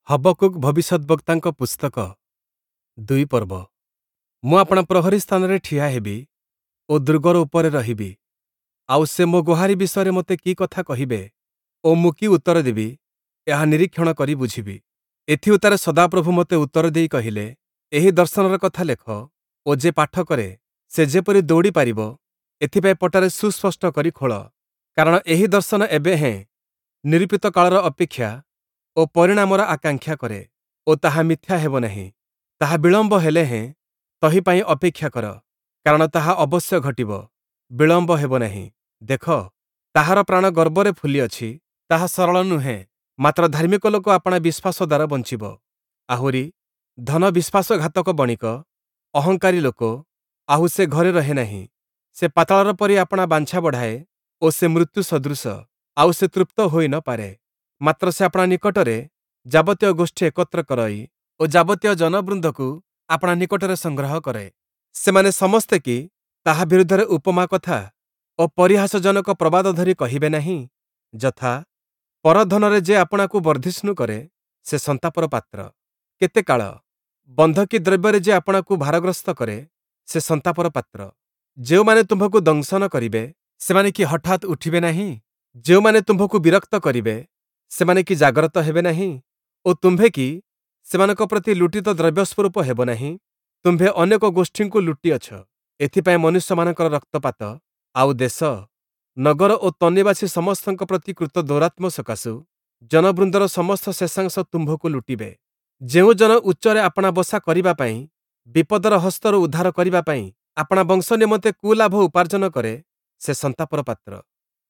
ହବକ୍କୁକ୍ ଭବିଷ୍ୟଦ୍‌ବକ୍ତାଙ୍କ ପୁସ୍ତକ, 2 ପର୍ବ। ମୁଁ ଆପଣା ପ୍ରହରୀ ସ୍ଥାନରେ ଠିଆ ହେବି ଓ ଦୁର୍ଗର ଉପରେ ରହିବି, ଆଉ ସେ ମୋ ଗୁହାରି ବିଷୟରେ ମୋତେ କି କଥା କହିବେ ଓ ମୁଁ କି ଉତ୍ତର ଦେବି, ଏହା ନିରୀକ୍ଷଣ କରି ବୁଝିବି। ଏଥିଉତ୍ତାରେ ସଦାପ୍ରଭୁ ମୋତେ ଉତ୍ତର ଦେଇ କହିଲେ, ଏହି ଦର୍ଶନର କଥା ଲେଖ ଓ ଯେ ପାଠ କରେ, ସେ ଯେପରି ଦୌଡ଼ି ପାରିବ, ଏଥିପାଇଁ ପଟାରେ ସୁସ୍ପଷ୍ଟ କରି ଖୋଳ। କାରଣ ଏହି ଦର୍ଶନ ଏବେ ହେଁ ନିରୂପିତ କାଳର ଅପେକ୍ଷା ଓ ପରିଣାମର ଆକାଂକ୍ଷା କରେ ଓ ତାହା ମିଥ୍ୟା ହେବ ନାହିଁ। ତାହା ବିଳମ୍ବ ହେଲେ ହେଁ ତହିଁ ପାଇଁ ଅପେକ୍ଷା କର, କାରଣ ତାହା ଅବଶ୍ୟ ଘଟିବ, ବିଳମ୍ବ ହେବ ନାହିଁ। ଦେଖ, ତାହାର ପ୍ରାଣ ଗର୍ବରେ ଫୁଲିଅଛି, ତାହା ସରଳ ନୁହେଁ, ମାତ୍ର ଧାର୍ମିକ ଲୋକ ଆପଣା ବିଶ୍ୱାସ ଦ୍ୱାରା ବଞ୍ଚିବ। ଆହୁରି, ଧନ ବିଶ୍ୱାସଘାତକ ବଣିକ, ଅହଙ୍କାରୀ ଲୋକ, ଆହୁ ସେ ଘରେ ରହେ ନାହିଁ। ସେ ପାତାଳର ପରି ଆପଣା ବାଞ୍ଛା ବଢ଼ାଏ ଓ ସେ ମୃତ୍ୟୁ ସଦୃଶ, ଆଉ ସେ ତୃପ୍ତ ହୋଇ ନ ପାରେ। ମାତ୍ର ସେ ଆପଣା ନିକଟରେ ଯାବତୀୟ ଗୋଷ୍ଠୀ ଏକତ୍ର କରଇ ଓ ଯାବତୀୟ ଜନବୃନ୍ଦକୁ ଆପଣା ନିକଟରେ ସଂଗ୍ରହ କରେ। ସେମାନେ ସମସ୍ତେ କି ତାହା ବିରୁଦ୍ଧରେ ଉପମା କଥା ଓ ପରିହାସଜନକ ପ୍ରବାଦ ଧରି କହିବେ ନାହିଁ? ଯଥା, ପରଧନରେ ଯେ ଆପଣାକୁ ବର୍ଦ୍ଧିଷ୍ଣୁ କରେ, ସେ ସନ୍ତାପର ପାତ୍ର। କେତେ କାଳ? ବନ୍ଧକୀ ଦ୍ରବ୍ୟରେ ଯେ ଆପଣାକୁ ଭାରଗ୍ରସ୍ତ କରେ, ସେ ସନ୍ତାପର ପାତ୍ର। ଯେଉଁମାନେ ତୁମ୍ଭକୁ ଦଂଶନ କରିବେ, ସେମାନେ କି ହଠାତ୍ ଉଠିବେ ନାହିଁ? ଯେଉଁମାନେ ତୁମ୍ଭକୁ ବିରକ୍ତ କରିବେ, ସେମାନେ କି ଜାଗ୍ରତ ହେବେ ନାହିଁ? ଓ ତୁମ୍ଭେ କି ସେମାନଙ୍କ ପ୍ରତି ଲୁଟିତ ଦ୍ରବ୍ୟ ସ୍ୱରୂପ ହେବ ନାହିଁ? ତୁମ୍ଭେ ଅନେକ ଗୋଷ୍ଠୀଙ୍କୁ ଲୁଟିଅଛ, ଏଥିପାଇଁ ମନୁଷ୍ୟମାନଙ୍କର ରକ୍ତପାତ, ଆଉ ଦେଶ, ନଗର ଓ ତନ୍ନିବାସୀ ସମସ୍ତଙ୍କ ପ୍ରତି କୃତ ଦୌରାତ୍ମ୍ୟ ସକାଶୁ ଜନବୃନ୍ଦର ସମସ୍ତ ଶେଷାଂଶ ତୁମ୍ଭକୁ ଲୁଟିବେ। ଯେଉଁ ଜନ ଉଚ୍ଚରେ ଆପଣା ବସା କରିବା ପାଇଁ, ବିପଦର ହସ୍ତରୁ ଉଦ୍ଧାର କରିବା ପାଇଁ ଆପଣା ବଂଶ ନିମନ୍ତେ କୁଲାଭ ଉପାର୍ଜନ କରେ, ସେ ସନ୍ତାପର ପାତ୍ର।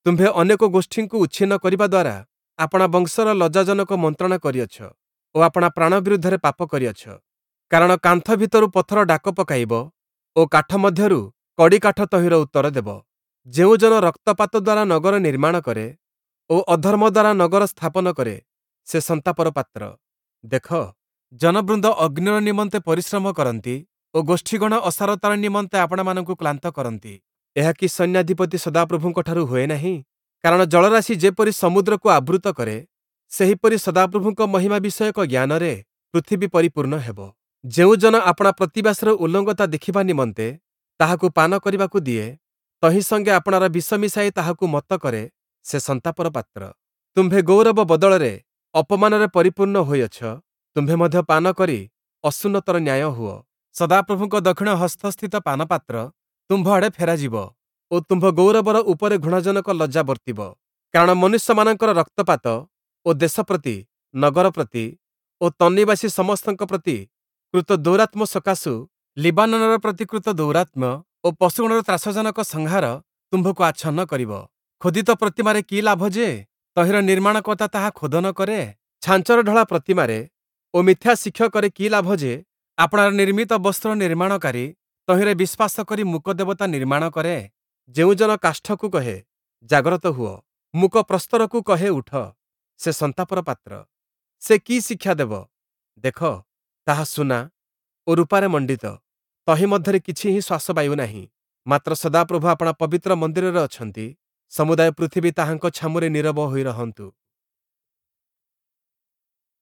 ତୁମ୍ଭେ ଅନେକ ଗୋଷ୍ଠୀଙ୍କୁ ଉଚ୍ଛିନ୍ନ କରିବା ଦ୍ୱାରା ଆପଣା ବଂଶର ଲଜ୍ଜାଜନକ ମନ୍ତ୍ରଣା କରିଅଛ ଓ ଆପଣା ପ୍ରାଣ ବିରୁଦ୍ଧରେ ପାପ କରିଅଛ। କାରଣ କାନ୍ଥ ଭିତରୁ ପଥର ଡାକ ପକାଇବ ଓ କାଠ ମଧ୍ୟରୁ କଡ଼ିକାଠ ତହିଁର ଉତ୍ତର ଦେବ। ଯେଉଁ ଜନ ରକ୍ତପାତ ଦ୍ୱାରା ନଗର ନିର୍ମାଣ କରେ ଓ ଅଧର୍ମ ଦ୍ୱାରା ନଗର ସ୍ଥାପନ କରେ, ସେ ସନ୍ତାପର ପାତ୍ର। ଦେଖ, ଜନବୃନ୍ଦ ଅଗ୍ନିର ନିମନ୍ତେ ପରିଶ୍ରମ କରନ୍ତି ଓ ଗୋଷ୍ଠୀଗଣ ଅସାରତାର ନିମନ୍ତେ ଆପଣାମାନଙ୍କୁ କ୍ଳାନ୍ତ କରନ୍ତି। ଏହା କି ସୈନ୍ୟାଧିପତି ସଦାପ୍ରଭୁଙ୍କଠାରୁ ହୁଏ ନାହିଁ? କାରଣ ଜଳରାଶି ଯେପରି ସମୁଦ୍ରକୁ ଆବୃତ କରେ, ସେହିପରି ସଦାପ୍ରଭୁଙ୍କ ମହିମା ବିଷୟକ ଜ୍ଞାନରେ ପୃଥିବୀ ପରିପୂର୍ଣ୍ଣ ହେବ। ଯେଉଁ ଜନ ଆପଣା ପ୍ରତିବାସର ଉଲଙ୍ଗତା ଦେଖିବା ନିମନ୍ତେ ତାହାକୁ ପାନ କରିବାକୁ ଦିଏ, ତହିଁ ସଙ୍ଗେ ଆପଣାର ବିଷ ମିଶାଇ ତାହାକୁ ମତ୍ତ କରେ, ସେ ସନ୍ତାପର ପାତ୍ର। ତୁମ୍ଭେ ଗୌରବ ବଦଳରେ ଅପମାନରେ ପରିପୂର୍ଣ୍ଣ ହୋଇଅଛ, ତୁମ୍ଭେ ମଧ୍ୟ ପାନ କରି ଅସୁନ୍ନତର ନ୍ୟାୟ ହୁଅ। ସଦାପ୍ରଭୁଙ୍କ ଦକ୍ଷିଣ ହସ୍ତସ୍ଥିତ ପାନପାତ୍ର ତୁମ୍ଭ ଆଡ଼େ ଫେରାଯିବ ଓ ତୁମ୍ଭ ଗୌରବର ଉପରେ ଘୃଣାଜନକ ଲଜ୍ଜା ବର୍ତ୍ତିବ। କାରଣ ମନୁଷ୍ୟମାନଙ୍କର ରକ୍ତପାତ ଓ ଦେଶ ପ୍ରତି, ନଗର ପ୍ରତି ଓ ତନ୍ନିବାସୀ ସମସ୍ତଙ୍କ ପ୍ରତି କୃତ ଦୌରାତ୍ମ୍ୟ ସକାଶୁ ଲିବାନୋନର ପ୍ରତି କୃତ ଦୌରାତ୍ମ୍ୟ ଓ ପଶୁଗଣର ତ୍ରାସଜନକ ସଂହାର ତୁମ୍ଭକୁ ଆଚ୍ଛନ୍ନ କରିବ। ଖୋଦିତ ପ୍ରତିମାରେ କି ଲାଭ ଯେ ତହିଁର ନିର୍ମାଣକର୍ତ୍ତା ତାହା ଖୋଦନ କରେ? ଛାଞ୍ଚରେ ଢଳା ପ୍ରତିମାରେ ଓ ମିଥ୍ୟା ଶିକ୍ଷକରେ କି ଲାଭ ଯେ ଆପଣାର ନିର୍ମିତ ବସ୍ତୁର ନିର୍ମାଣକାରୀ ତହିଁରେ ବିଶ୍ୱାସ କରି ମୂକ ଦେବତା ନିର୍ମାଣ କରେ? ଯେଉଁ ଜନ କାଷ୍ଠକୁ କହେ, ଜାଗ୍ରତ ହୁଅ, ମୂକ ପ୍ରସ୍ତରକୁ କହେ, ଉଠ, ସେ ସନ୍ତାପର ପାତ୍ର। ସେ କି ଶିକ୍ଷା ଦେବ? ଦେଖ, ତାହା ସୁନା ଓ ରୂପାରେ ମଣ୍ଡିତ, ତହିଁ ମଧ୍ୟରେ କିଛି ହିଁ ଶ୍ୱାସବାୟୁ ନାହିଁ। ମାତ୍ର ସଦାପ୍ରଭୁ ଆପଣା ପବିତ୍ର ମନ୍ଦିରରେ ଅଛନ୍ତି, ସମୁଦାୟ ପୃଥିବୀ ତାହାଙ୍କ ଛାମୁରେ ନୀରବ ହୋଇ ରହନ୍ତୁ।